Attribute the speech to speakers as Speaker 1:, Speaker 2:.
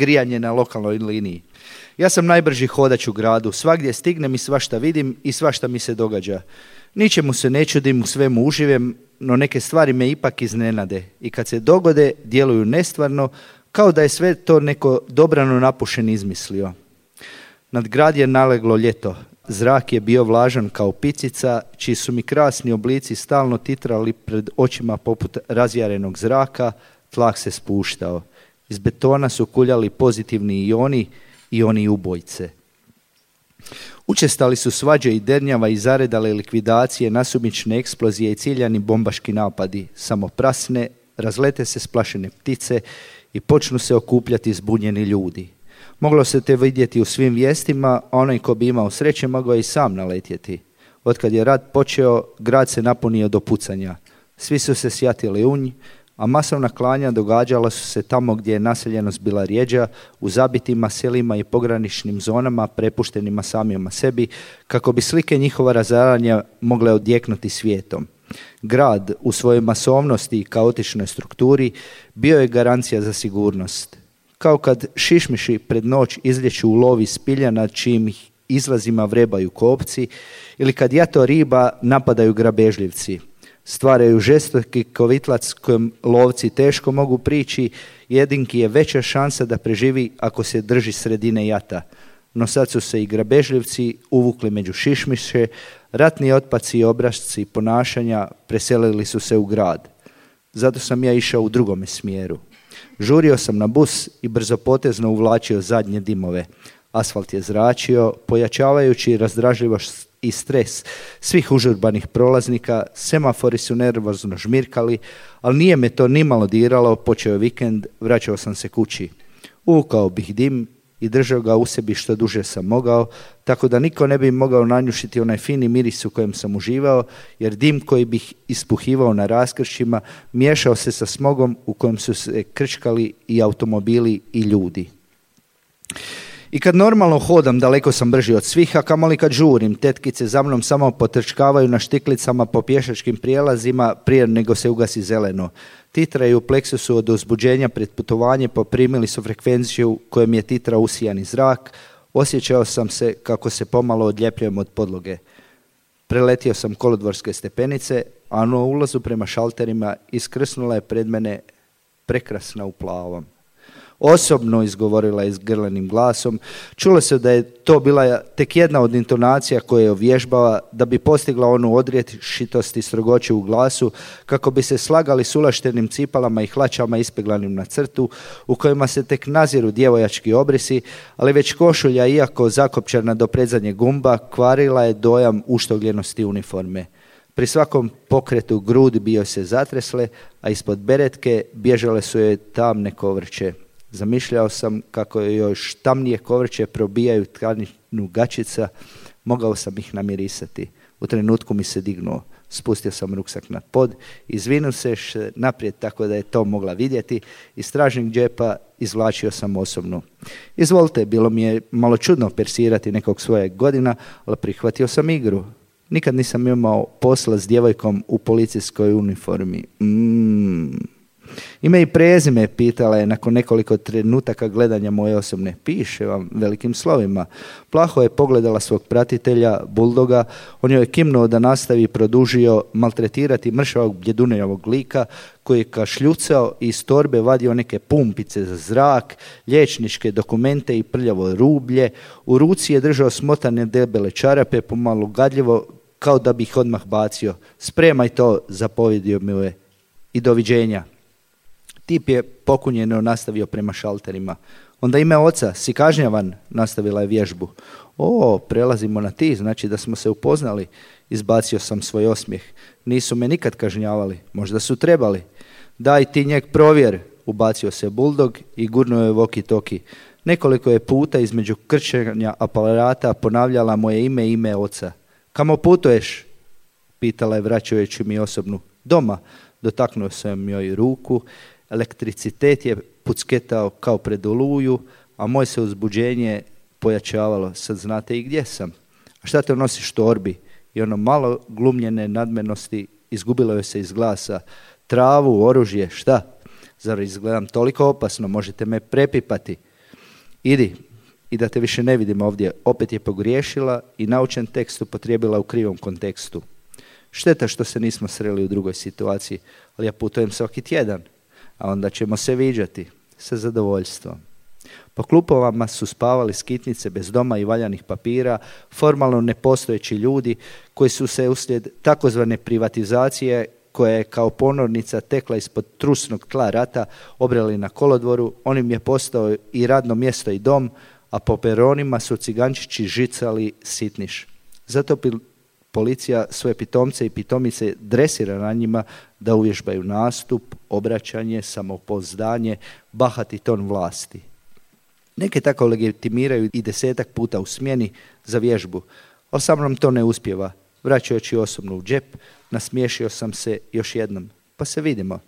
Speaker 1: grijanje na lokalnoj liniji. Ja sam najbrži hodač u gradu, svagdje stignem i svašta vidim i svašta mi se događa. Ničemu se ne čudim, u svemu uživem, no neke stvari me ipak iznenade i kad se dogode djeluju nestvarno, kao da je sve to neko dobrano napušen izmislio. Nad grad je naleglo ljeto. Zrak je bio vlažan kao picica, čiji su mi krasni oblici stalno titrali pred očima poput razjarenog zraka, tlak se spuštao. Iz betona su kuljali pozitivni ioni ubojice. Učestali su svađe i dernjava i zaredale likvidacije, nasumične eksplozije i ciljani bombaški napadi. Samoprasne, razlete se splašene ptice i počnu se okupljati zbunjeni ljudi. Moglo se te vidjeti u svim vijestima, a onaj ko bi imao sreće mogao i sam naletjeti. Otkad je rat počeo, grad se napunio do pucanja. Svi su se sjatili u nj, a masovna klanja događala su se tamo gdje je naseljenost bila rjeđa, u zabitima selima i pograničnim zonama prepuštenima samima sebi, kako bi slike njihova razaranja mogle odjeknuti svijetom. Grad u svojoj masovnosti i kaotičnoj strukturi bio je garancija za sigurnost. Kao kad šišmiši pred noć izlječu u lovi spilja nad čijim ih izlazima vrebaju kopci ili kad jato riba napadaju grabežljivci. Stvaraju žestoki kovitlac kojem lovci teško mogu prići, jedinki je veća šansa da preživi ako se drži sredine jata. No sad su se i grabežljivci uvukli među šišmiše, ratni otpaci i obrasci ponašanja preselili su se u grad. Zato sam ja išao u drugome smjeru. Žurio sam na bus i brzopotezno uvlačio zadnje dimove. Asfalt je zračio, pojačavajući razdražljivost i stres svih užurbanih prolaznika, semafori su nervozno žmirkali, ali nije me to nimalo diralo, počeo je vikend, vraćao sam se kući. Uvukao bih dim i držao ga u sebi što duže sam mogao, tako da niko ne bi mogao nanjušiti onaj fini miris u kojem sam uživao, jer dim koji bih ispuhivao na raskršćima miješao se sa smogom u kojem su se krčkali i automobili i ljudi. I kad normalno hodam, daleko sam brži od svih, a kamoli kad žurim, tetkice za mnom samo potrčkavaju na štiklicama po pješačkim prijelazima prije nego se ugasi zeleno. Titraju u pleksusu od uzbuđenja pred putovanje, poprimili su frekvenciju kojom je titra usijani zrak. Osjećao sam se kako se pomalo odljepljujem od podloge. Preletio sam kolodvorske stepenice, a na ulazu prema šalterima iskrsnula je pred mene prekrasna u plavom. Osobno, izgovorila je s grlenim glasom. Čulo se da je to bila tek jedna od intonacija koje je ovježbala da bi postigla onu odrješitost i strogoću u glasu, kako bi se slagali s ulaštenim cipalama i hlačama ispeglanim na crtu, u kojima se tek naziru djevojački obrisi, ali već košulja, iako zakopčana do predzadnjeg gumba, kvarila je dojam uštogljenosti uniforme. Pri svakom pokretu grudi bio se zatresle, a ispod beretke bježale su joj tamne kovrće. Zamišljao sam kako još tamnije kovrće probijaju tkaninu gačica, mogao sam ih namirisati. U trenutku mi se dignuo, spustio sam ruksak na pod, izvinuo se naprijed tako da je to mogla vidjeti, iz stražnjeg džepa izvlačio sam osobnu. Izvolite, bilo mi je malo čudno persirati nekog svojeg godina, ali prihvatio sam igru. Nikad nisam imao posla s djevojkom u policijskoj uniformi. Ime i prezime, pitala je nakon nekoliko trenutaka gledanja moje osobne. Piše vam velikim slovima. Plaho je pogledala svog pratitelja, buldoga. On joj je kimnuo da nastavi i produžio maltretirati mršavog bljedunjavog lika koji je kašljucao i iz torbe vadio neke pumpice za zrak, liječničke dokumente i prljavo rublje. U ruci je držao smotane debele čarape, pomalo gadljivo, kao da bi ih odmah bacio. Spremaj to, zapovjedio mi je. I doviđenja. Tip je pokunjeno nastavio prema šalterima. Onda ime oca, si kažnjavan, nastavila je vježbu. O, prelazimo na ti, znači da smo se upoznali. Izbacio sam svoj osmijeh. Nisu me nikad kažnjavali, možda su trebali. Daj ti njeg provjer, ubacio se buldog i gurnuo je walkie-talkie. Nekoliko je puta između krčenja aparata ponavljala moje ime i ime oca. Kamo putuješ? Pitala je vraćajući mi osobnu. Doma, dotaknuo sam joj ruku. Elektricitet je pucketao kao pred oluju, a moje se uzbuđenje pojačavalo. Sad znate i gdje sam. A šta te nosiš torbi? I ono malo glumljene nadmenosti izgubilo je se iz glasa. Travu, oružje, šta? Zar izgledam toliko opasno? Možete me prepipati. idi i da te više ne vidim ovdje. Opet je pogriješila i naučen tekst upotrijebila u krivom kontekstu. Šteta što se nismo sreli u drugoj situaciji, ali ja putujem svaki tjedan, a onda ćemo se viđati sa zadovoljstvom. Po klupovama su spavali skitnice bez doma i valjanih papira, formalno nepostojeći ljudi koji su se uslijed takozvane privatizacije, koja je kao ponornica tekla ispod trusnog tla rata, obrali na kolodvoru. On im je postao i radno mjesto i dom, a po peronima su cigančići žicali sitniš. Zato policija svoje pitomce i pitomice dresira na njima da uvježbaju nastup, obraćanje, samopouzdanje, bahati ton vlasti. Neke tako legitimiraju i 10 puta u smjeni za vježbu, ali sa mnom to ne uspijeva. Vraćajući osobno u džep, nasmiješio sam se još jednom. Pa se vidimo.